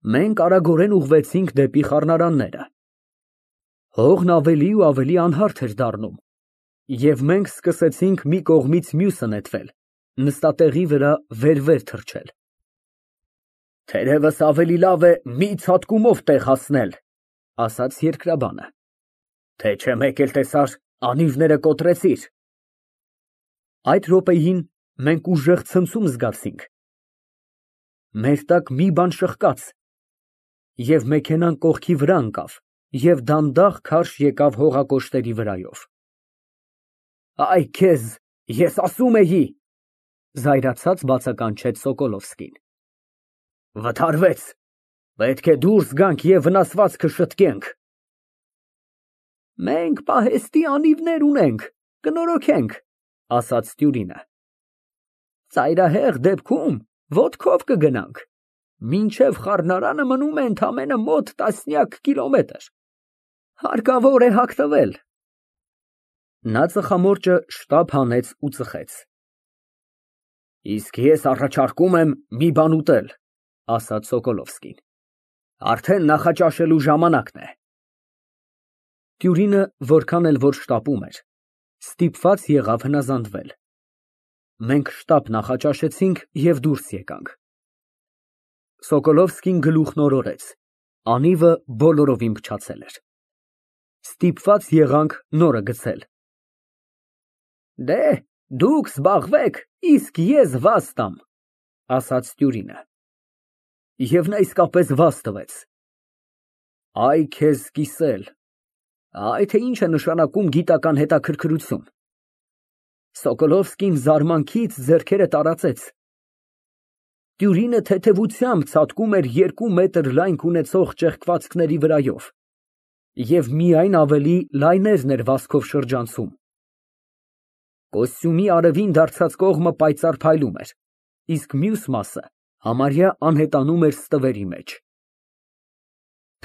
Մենք արագորեն ուղղվեցինք դեպի խառնարանները։ Հողն ավելի ու ավելի անհարթ էր դառնում, և մենք սկսեցինք մի կողմից մյուսը նետվել, նստատեղի վրա վեր թռչել։ Թերևս ավելի լավ է մի ցատկումով տեղ հասնել, ասաց երկրաբանը, թե չէ մեկ էլ տեսար անիվները կոտրեցիր։ Այդ րոպեին մենք ուժեղ ցնցում զգացինք։ Մեր տակ մի բան շրխկաց, և մեքենան կողքի վրա ընկավ և դանդաղ քարշ եկավ հողակոշտերի վրայով։ Այ քեզ, ես ասում էի, զայրացած բացականչեց Սոկոլովսկին։ Վթարվեց, պետք է դուրս գանք և վնասվածքը շտկենք։ Մենք պահեստի անիվներ ունենք, կնորոգենք, ասաց Տյուրինը։ Ծայրահեղ դեպքում ոտքով կգնանք, մինչև խառնարանը մնում է ընդամենը մոտ տասնյակ կիլոմետր, հարկավոր է հագնվել։ Նա ծխամորճը շտապ հանեց ու ծխեց։ Իսկ ես առաջարկում եմ մի բան ուտել, ասաց Սոկոլովսկին, արդեն նախաճաշելու ժամանակն է։ Տյուրինը որքան էլ որ շտապում էր, ստիպված եղավ հնազանդվել։ Մենք շտապ նախաճաշեցինք և դուրս եկանք։ Սոկոլովսկին գլուխն օրորեց, անիվը բոլորովին փչացել էր։ Ստիպված եղանք նորը գցել։ Դե, դուք զբաղվեք, իսկ ես վազ տամ, ասաց Տյուրինը։ Եվ նա իսկապես վազ տվեց։ Այ քեզ կիսել, թե ինչ է նշանակում գիտական հետաքրքրություն։ Սոկոլովսկին զարմանքից ձեռքերը տարածեց։ Տյուրինը թեթևությամբ ցատկում էր 2 մետր լայնք ունեցող ճեղքվածքների վրայով, և միայն ավելի լայներն էր վազքով շրջանցում։ Կոստյումի արևին դարձած կողմը պայծառ փայլում էր, իսկ մյուս մասը համարյա անհետանում էր ստվերի մեջ։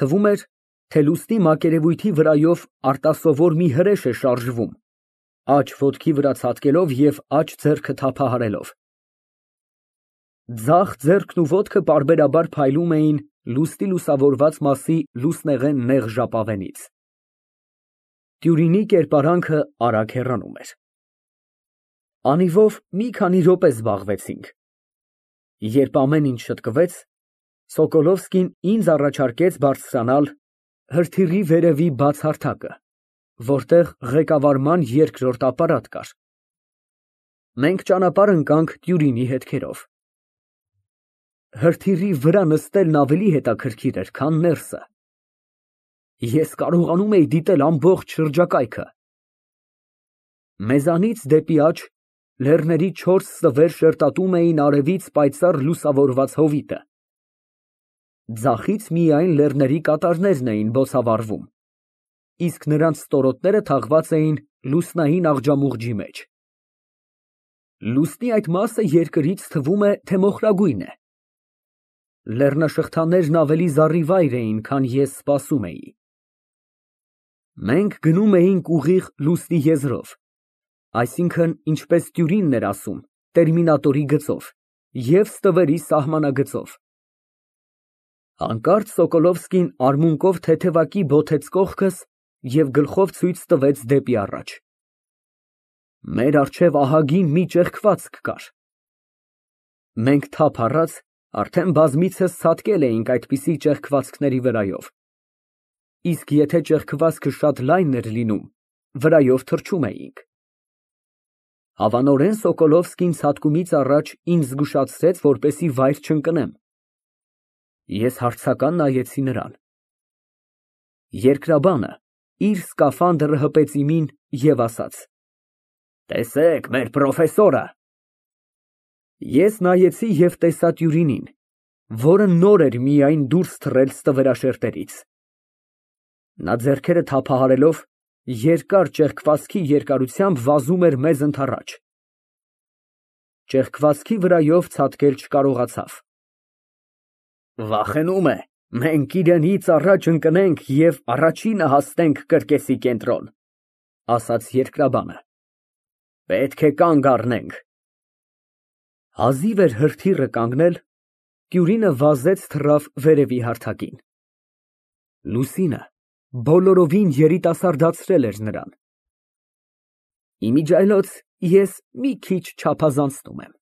Թվում էր, թե լուսնի մակերևույթի վրայով արտասովոր մի հրեշ է շարժվում, աջ ոտքի վրա ցատկելով և աջ ձեռքը թափահարելով։ Ձախ ձեռքն ու ոտքը պարբերաբար փայլում էին լուսնի լուսավորված մասի լուսնեղեն նեղ ժապավենից։ Տյուրինի կերպարանքը արագ հեռանում էր։ Անիվով մի քանի րոպե զբաղվեցինք։ Երբ ամեն ինչ շտկվեց, Սոկոլովսկին ինձ առաջարկեց բարձրանալ հրթիռի վերևի բաց հարթակը, որտեղ ղեկավարման երկրորդ ապարատ կար։ Մենք ճանապարհ ընկանք Տյուրինի հետքերով։ Հրթիռի վրա նստելն ավելի հետաքրքիր էր, քան ներսը։ Ես կարողանում էի դիտել ամբողջ շրջակայքը։ Մեզանից դեպի աջ լեռների 4 ստվեր շերտատում էին արևից պայծառ լուսավորված հովիտը։ Ձախից միայն լեռների կատարներն էին բոցավառվում, իսկ նրանց ստորոտները թաղված էին լուսնային աղջամուղջի մեջ։ Լուսնի այդ մասը երկրից թվում է, թե մոխրագույն է։ Լեռնաշղթաներն ավելի զառիվայր էին, քան ես սպասում էի։ Մենք գնում էինք ուղիղ լուսնի եզրով, այսինքն, ինչպես Տյուրինն էր ասում, տերմինատորի գծով և ստվերի սահմանագծով։ Հանկարծ Սոկոլովսկին արմունկով թեթևակի բոթեց կողքս և գլխով ցույց տվեց դեպի առաջ։ Մեր առջև ահագին մի ճեղքվածք կար։ Մենք թափ առած արդեն բազմիցս ցատկել էինք այդպիսի ճեղքվածքների վրայով, իսկ եթե ճեղքվածքը շատ լայն էր լինում, վրայով թռչում էինք։ Հավանորեն Սոկոլովսկին ցատկումից առաջ ինձ զգուշացրեց, որպեսզի վայր չընկնեմ։ Ես հարցական նայեցի նրան։ Երկրաբանը իր սկաֆանդրը հպեց իմին և ասաց. Տեսեք մեր պրոֆեսորը։ Ես նայեցի և տեսա Տյուրինին, որը նոր էր միայն դուրս թռել ստվերաշերտերից։ Նա ձեռքերը թափահարելով երկար ճեղքվածքի երկարությամբ վազում էր մեզ ընդառաջ։ Ճեղքվածքի վրայով ցատկել չկարողացավ։ Վախենում է, մենք իրենից առաջ ընկնենք և առաջինը հասնենք կրկեսի կենտրոն, ասաց երկրաբանը։ Պետք է կանգ առնենք։ Հազիվ էր հրթիռը կանգնել, Տյուրինը վազեց թռավ վերևի հարթակին։ Լուսինը բոլորովին երիտասարդացրել էր նրան։ Իմիջիայլոց ես մի քիչ չափազանցնում եմ։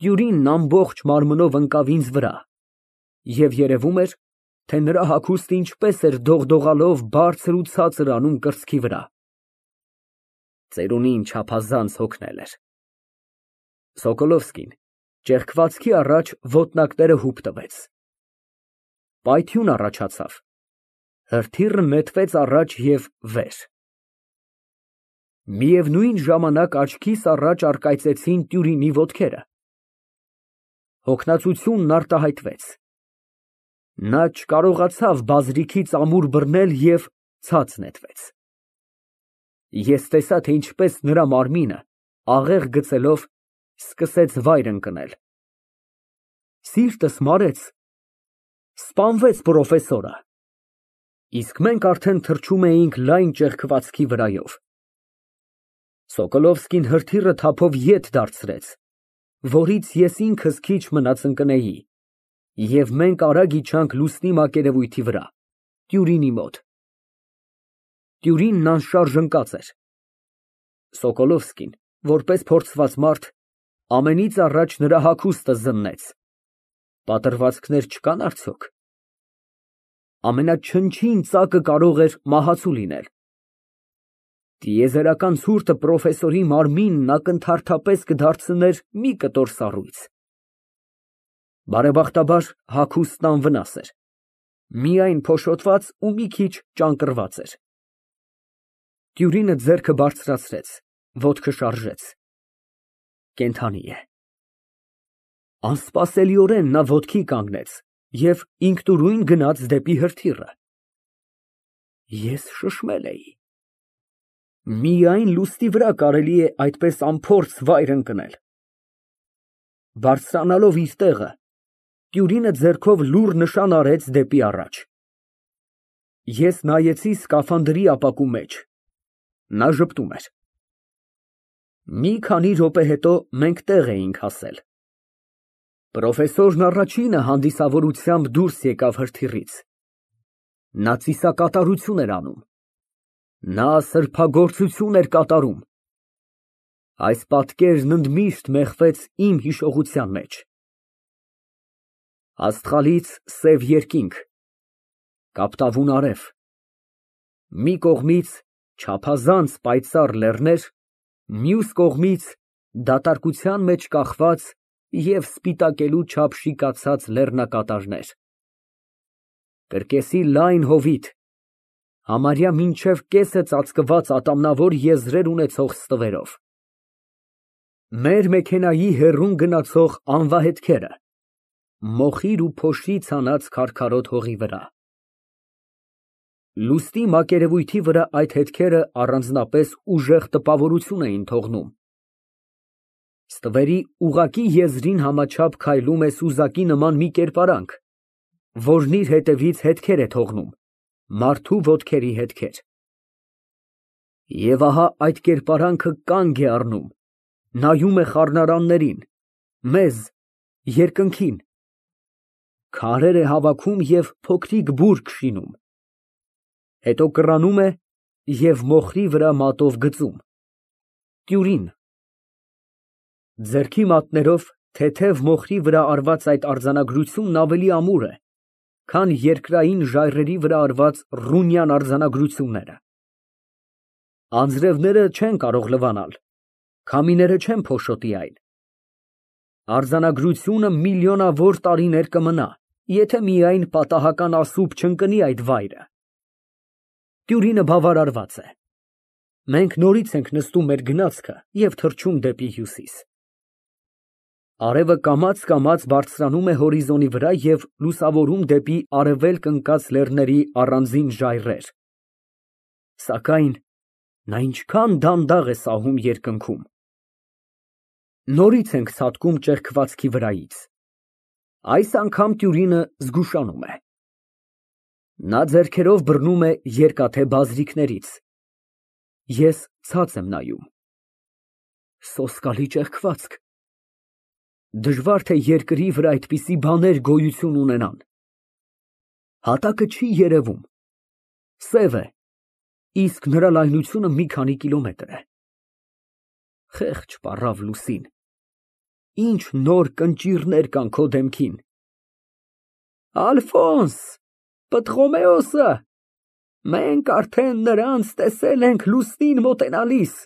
Տյուրինն ամբողջ մարմնով ընկավ ինձ վրա և երևում էր, թե նրա հագուստը ինչպես էր դողդողալով բարձր ու ցածր անում կրծքի վրա։ Ծերունին չափազանց հոգնել էր։ Սոկոլովսկին ճեղքվածքի առաջ ոտնակները հուպ տվեց։ Պայթյուն առաջացավ, հրթիռը նետվեց առաջ և վեր։ Միևնույն ժամանակ աչքիս առաջ առկայծեցին Տյուրինի ոտքերը։ Հոգնածությունն արտահայտվեց։ Նա չկարողացավ բազրիքից ամուր բռնել և ցած նետվեց։ Ես տեսա, թե ինչպես նրա մարմինը, աղեղ գցելով, սկսեց վայր ընկնել։ Սիրտս մարեց, սպանվեց պրոֆեսորը, իսկ մենք արդեն թռչում էինք լայն ճեղքվածքի վրայով։ Սոկոլովսկին հրթիռը թափով ետ դարձրեց, որից ես ինքս քիչ մնաց ընկնեի, և մենք արագ իջանք լուսնի մակերևույթի վրա, Տյուրինի մոտ։ Տյուրինն անշարժ ընկած էր։ Սոկոլովսկին, որպես փորձված մարդ, ամենից առաջ նրա հագուստը զննեց։ Պատրվացքներ չկան արդյոք։ Ամենաչնչին ծակը կարող էր մահացու լինել։ Տիեզերական ցուրտը պրոֆեսորի մարմինն ակնթարթապես կդարձներ մի կտոր սառույց։ Բարեբախտաբար հագուստն անվնաս էր, միայն փոշոտված ու մի քիչ ճանկռված էր։ Տյուրինը ձեռքը բարձրացրեց, ոտքը շարժեց։ Կենդանի է։ Անսպասելիորեն նա ոտքի կանգնեց և ինքնուրույն գնաց դեպի հրթիռը։ Ես շշմել էի։ Միայն լուսնի վրա կարելի է այդպես անփորձ վայր ընկնել։ Բարձրանալով իր տեղը, Տյուրինը ձեռքով լուռ նշան արեց դեպի առաջ։ Ես նայեցի սկաֆանդրի ապակու մեջ։ Նա ժպտում էր։ Մի քանի րոպե հետո մենք տեղ էինք հասել։ Պրոֆեսորն առաջինը հանդիսավորությամբ դուրս եկավ հրթիռից։ Նա ծիսակատարություն էր անում։ Նա սրբագործություն էր կատարում։ Այս պատկերն ընդմիշտ մեխվեց իմ հիշողության մեջ։ Աստղալից սև երկինք, կապտավուն արև, մի կողմից չափազանց պայծառ լեռներ, մյուս կողմից դատարկության մեջ կախված և սպիտակելու չափ շիկացած լեռնակատարներ, կրկեսի լայն հովիտ, համարյա մինչև կեսը ծածկված ատամնավոր եզրեր ունեցող ստվերով, մեր մեքենայի հեռուն գնացող անվահետքերը, մոխիր ու փոշի ցանած քարքարոտ հողի վրա։ Լուսնի մակերևույթի վրա այդ հետքերը առանձնապես ուժեղ տպավորություն էին թողնում։ Ստվերի ուղղակի եզրին համաչափ քայլում է սուզակի նման մի կերպարանք, որն իր հետևից հետքեր է թողնում, մարդու ոտքերի հետքեր։ Եվ ահա այդ կերպարանքը կանգ է առնում, նայում է խառնարաններին, մեզ, երկնքին, քարեր է հավաքում և փոքրիկ բուրգ շինում, հետո կռանում է և մոխրի վրա մատով գծում։ Տյուրին։ Ձեռքի մատներով թեթև մոխրի վրա արված այդ արձանագրությունն ավելի ամուր է, քան երկրային ժայռերի վրա արված ռունյան արձանագրությունները։ Անձրևները չեն կարող լվանալ, քամիները չեն փոշոտի այն։ Արձանագրությունը միլիոնավոր տարիներ կմնա, եթե միայն պատահական ասուբ չընկնի այդ վայրը։ Տյուրինը բավարարված է։ Մենք նորից ենք նստում մեր գնացքը և թռչում դեպի հյուսիս։ Արևը կամաց բարձրանում է հորիզոնի վրա և լուսավորում դեպի արևելք ընկած լեռների առանձին ժայռեր։ Սակայն նա ինչքան դանդաղ է սահում երկնքում։ Նորից ենք ցատկում ճեղքվածքի վրայից։ Այս անգամ Տյուրինը զգուշանում է։ Նա ձեռքերով բռնում է երկաթե բազրիքներից։ Ես ցած եմ նայում։ Սոսկալի ճեղքվածք։ Դժվար թե երկրի վրա այդպիսի բաներ գոյություն ունենան։ Հատակը չի երևում, սև է, իսկ նրա լայնությունը մի քանի կիլոմետր է։ Խեղճ պառավ Լուսին, ինչ նոր կնճիռներ կան քո դեմքին։ Ալֆոնս, Պտղոմեոսը, մենք արդեն նրանց տեսել ենք լուսնին մոտենալիս,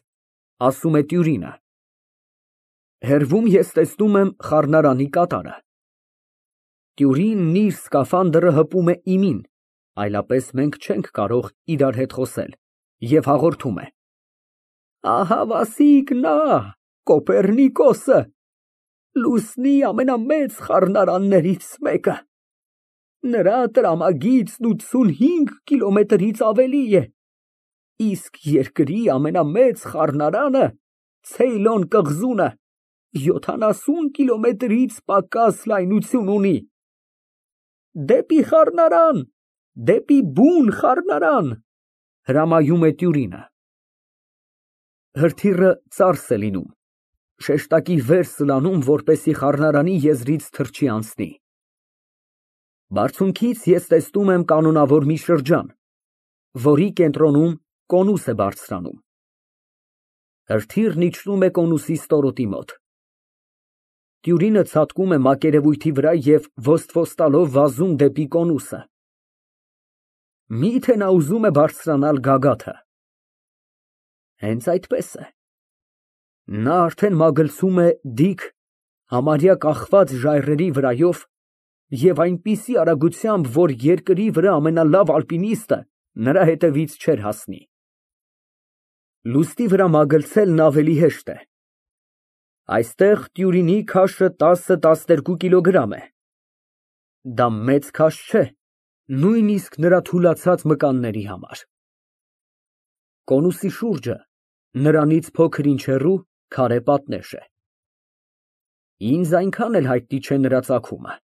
ասում է տյուրինը։ Հեռվում ես տեսնում եմ խառնարանի կատարը։ Տյուրինն իր սկաֆանդրը հպում է իմին, այլապես մենք չենք կարող իրար հետ խոսել, և հաղորդում է. Ահավասիկ նա, Կոպեռնիկոսը, լուսնի ամենամեծ խառնարաններից մեկը։ Նրա տրամագիծն 85 կիլոմետրից ավելի է, իսկ երկրի ամենամեծ խառնարանը Ցեյլոն կղզունը 70 կիլոմետրից պակաս լայնություն ունի։ Դեպի խառնարան, դեպի բուն խառնարան, հրամայում է տյուրինը։ Հրթիռը ծարս է լինում, շեշտակի վեր սլանում, որպեսզի խառնարանի եզրից թռչի անցնի։ Բարձունքից ես տեսնում եմ կանոնավոր մի շրջան, որի կենտրոնում կոնուս է բարձրանում։ Հրթիռն իջնում է կոնուսի ստորոտի մոտ։ Տյուրինը ցատկում է մակերևույթի վրա և ոսթվոստալով վազում դեպի կոնուսը։ Միթե նա ուզում է բարձրանալ գագաթը։ Հենց այդպես է։ Նա արդեն մագլցում է դիք, համարյա կախված ժայռերի վրայով և այնպիսի արագությամբ, որ երկրի վրա ամենալավ ալպինիստը նրա հետևից չէր հասնի։ Լուսնի վրա մագլցելն ավելի հեշտ է։ Այստեղ տյուրինի քաշը 10-12 կիլոգրամ է։ Դա մեծ քաշ չէ, նույնիսկ նրա թուլացած մկանների համար։ Կոնուսի շուրջը նրանից փոքր-ինչ հեռու քարե պատնեշ է։ Ինձ այնքան էլ հայտնի չէ նրա ծագումը։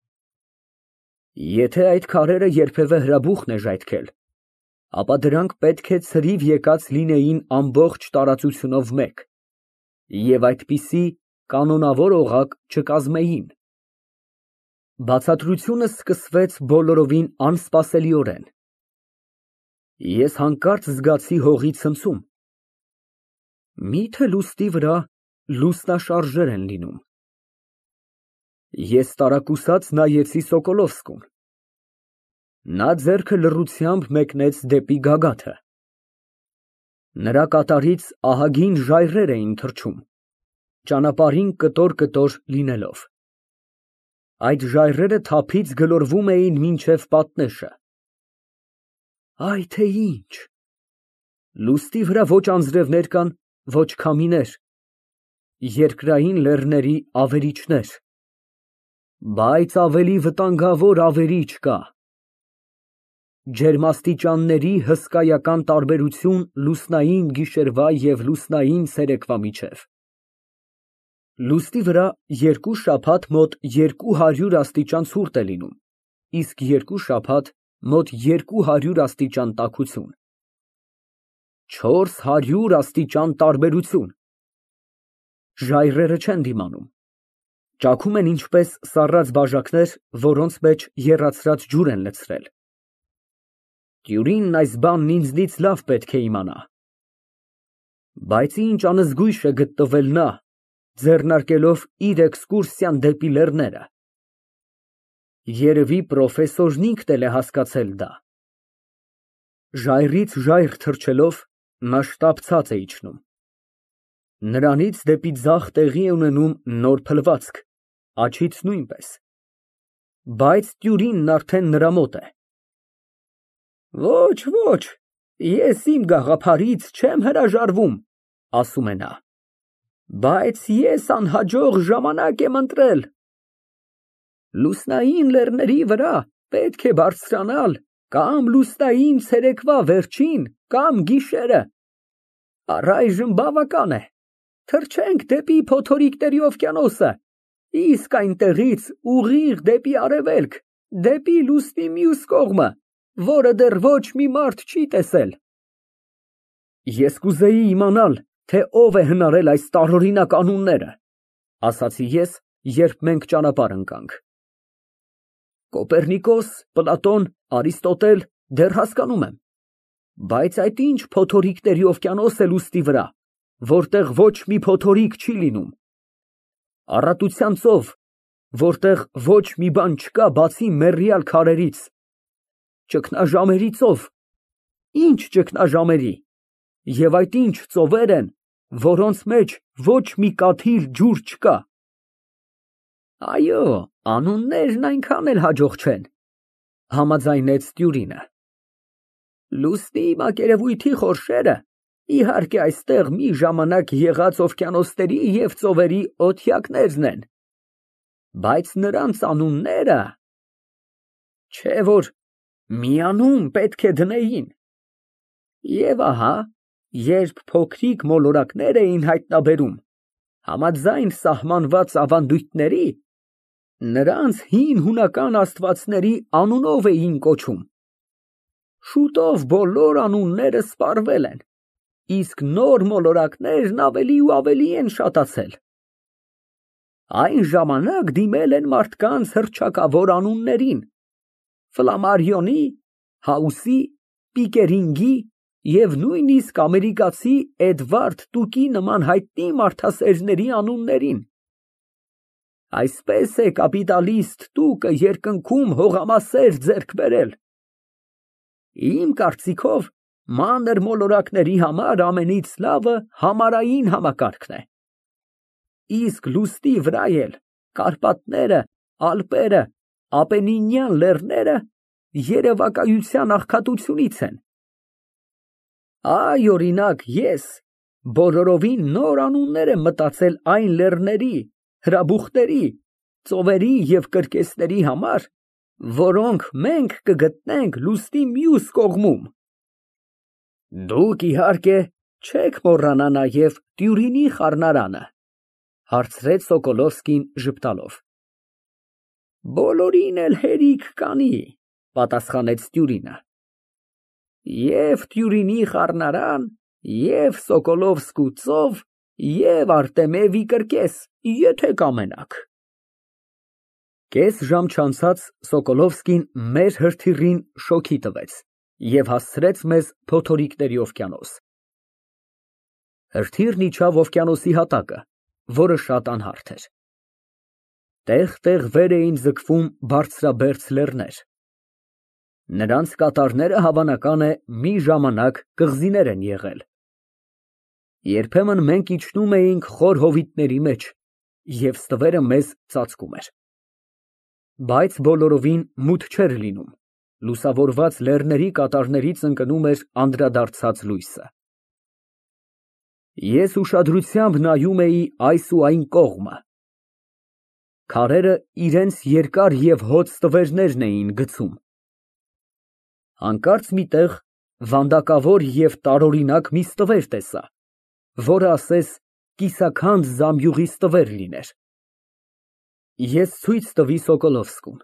Եթե այդ քարերը երբևէ հրաբուխն է ժայթքել, ապա դրանք պետք է ցրիվ եկած լինեին ամբողջ տարածությունով մեկ, և այդպիսի կանոնավոր օղակ չկազմեին։ Բացատրությունը սկսվեց բոլորովին անսպասելիորեն։ Ես հանկարծ զգացի հողի ցնցում։ Միթե լուսնի վրա լուսնաշարժեր են լինում։ Ես տարակուսած նայեցի Սոկոլովսկուն։ Նա ձեռքը լռությամբ մեկնեց դեպի գագաթը։ Նրա կատարից ահագին ժայռեր էին թռչում, ճանապարհին կտոր-կտոր լինելով։ Այդ ժայռերը թափից գլորվում էին մինչև պատնեշը։ Այ թե ինչ։ Լուսնի վրա ոչ անձրևներ կան, ոչ քամիներ, երկրային լեռների ավերիչներ, բայց ավելի վտանգավոր ավերիչ կա։ Ջերմաստիճանների հսկայական տարբերություն լուսնային գիշերվա և լուսնային ցերեկվա միջև։ Լուսնի վրա երկու շաբաթ մոտ 200 աստիճան ցուրտ է լինում, իսկ երկու շաբաթ մոտ 200 աստիճան տաքություն։ 400 աստիճան տարբերություն։ Ժայռերը չեն դիմանում։ Ճաքում են ինչպես սառած բաժակներ, որոնց մեջ եռացրած ջուր են լցրել։ Տյուրինն այս բանն ինձնից լավ պետք է իմանա։ Բայց ինչ անզգույշ է գտնվել նա, ձեռնարկելով իր էքսկուրսիան դեպի լեռները։ Երևի պրոֆեսորն ինքն էլ է հասկացել դա։ Ժայռից ժայռ թռչելով, նա շտապցած է իջնում։ Նրանից դեպի ձախ տեղի է ունենում նոր փլվածք, աջից նույնպես։ Բայց տյուրինն արդեն նրա մոտ է։ Ոչ, ոչ, ես իմ գաղափարից չեմ հրաժարվում, ասում է նա, բայց ես անհաջող ժամանակ եմ ընտրել։ Լուսնային լեռների վրա պետք է բարձրանալ կամ լուսնային ցերեկվա վերջին, կամ գիշերը։ Առայժմ բավական է։ Թռչենք դեպի փոթորիկների օվկիանոսը, իսկ այնտեղից ուղիղ դեպի արևելք, դեպի լուսնի մյուս կողմը, որը դեռ ոչ մի մարդ չի տեսել։ Ես կուզեի իմանալ, թե ով է հնարել այս տարօրինակ անունները, ասացի ես, երբ մենք ճանապարհ ընկանք։ Կոպեռնիկոս, Պլատոն, Արիստոտել, դեռ հասկանում եմ, բայց այդ ինչ փոթորիկների օվկիանոս է լուսնի վրա, որտեղ ոչ մի փոթորիկ չի լինում, առատության ծով, որտեղ ոչ մի բան չկա, բացի մեռյալ քարերից, ճգնաժամերի ծով, ինչ ճգնաժամերի, և այդ ինչ ծովեր են, որոնց մեջ ոչ մի կաթիլ ջուր չկա։ Այո, անուններն այնքան էլ հաջող չեն, համաձայնեց Տյուրինը։ Լուսնի մակերևույթի խորշերը, իհարկե, այստեղ մի ժամանակ եղած օվկիանոսների և ծովերի օթյակներն են, բայց նրանց անունները… Չէ որ մի անուն պետք է դնեին։ Եվ ահա, երբ փոքրիկ մոլորակներ էին հայտնաբերում, համաձայն սահմանված ավանդույթների, նրանց հին հունական աստվածների անունով էին կոչում։ Շուտով բոլոր անունները սպառվել են, իսկ նոր մոլորակներն ավելի ու ավելի են շատացել։ Այն ժամանակ դիմել են մարդկանց հռչակավոր անուններին, Ֆլամարիոնի, Հաուսի, Պիկերինգի և նույնիսկ ամերիկացի Էդվարդ Տուկի նման հայտնի մարդասերների անուններին։ Այսպես է կապիտալիստ Տուկը երկնքում հողամասեր ձեռք բերել։ Իմ կարծիքով, մանր մոլորակների համար ամենից լավը համարային համակարգն է։ Իսկ լուսնի վրա էլ Կարպատները, Ալպերը, Ապենինյան լեռները երևակայության աղքատությունից են։ Այ, օրինակ, ես բոլորովին նոր անուններ եմ մտածել այն լեռների, հրաբուխների, ծովերի և կրկեսների համար, որոնք մենք կգտնենք լուսնի մյուս կողմում։ Դուք, իհարկե, չեք մոռանա նաև Տյուրինի խառնարանը, հարցրեց Սոկոլովսկին ժպտալով։ Բոլորին էլ հերիք կանի, պատասխանեց Տյուրինը։ Եվ Տյուրինի խառնարան, և Սոկոլովսկու ծով, և Արտեմևի կրկես, եթե կամենաք։ Կես ժամ չանցած Սոկոլովսկին մեր հրթիռին շոգի տվեց և հասցրեց մեզ փոթորիկների օվկիանոս։ Հրթիռն իջավ օվկիանոսի հատակը, որը շատ անհարթ էր։ Տեղ֊տեղ վեր էին ձգվում բարձրաբերձ լեռներ։ Նրանց կատարները, հավանական է, մի ժամանակ կղզիներ են եղել։ Երբեմն մենք իջնում էինք խոր հովիտների մեջ, և ստվերը մեզ ծածկում էր։ Բայց բոլորովին մութ չէր լինում, լուսավորված լեռների կատարներից ընկնում էր անդրադարձած լույսը։ Ես ուշադրությամբ նայում էի այս ու այն կողմը։ Քարերը իրենց երկար և հոծ ստվերներն էին գցում։ Հանկարծ մի տեղ վանդակավոր և տարօրինակ մի ստվեր տեսա, որը ասես կիսաքանդ զամբյուղի ստվեր լիներ։ Ես ցույց տվի Սոկոլովսկուն։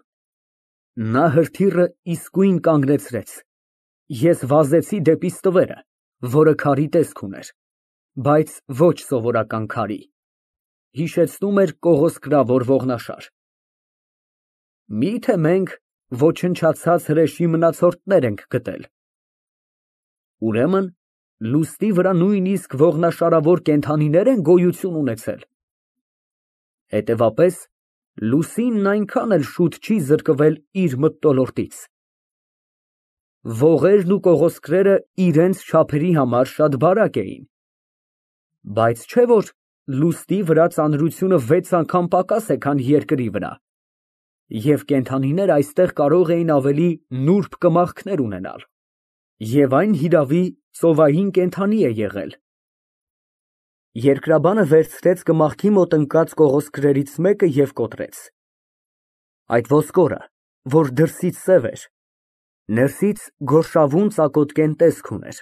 Նա հրթիռը իսկույն կանգնեցրեց։ Ես վազեցի դեպի ստվերը, որը քարի տեսք ուներ, բայց ոչ սովորական քարի, հիշեցնում էր կողոսկրավոր ողնաշար։ Մի՞թե մենք ոչնչացած հրեշի մնացորդներ ենք գտել։ Ուրեմն լուսնի վրա նույնիսկ ողնաշարավոր կենդանիներ են գոյություն ունեցել։ Հետևաբար, լուսինն այնքան էլ շուտ չի զրկվել իր մթնոլորտից։ Ողերն ու կողոսկրերը իրենց չափերի համար շատ բարակ էին, բայց չէ որ լուսնի վրա ծանրությունը 6 անգամ պակաս է, քան երկրի վրա, և կենդանիները այստեղ կարող էին ավելի նուրբ կմախքներ ունենալ, և այն հիրավի ծովային կենդանի է եղել։ Երկրաբանը վերցրեց կմախքի մոտ ընկած կողոսկրերից մեկը և կոտրեց։ Այդ ոսկորը, որ դրսից սև էր, ներսից գորշավուն ծակոտկեն տեսք ուներ։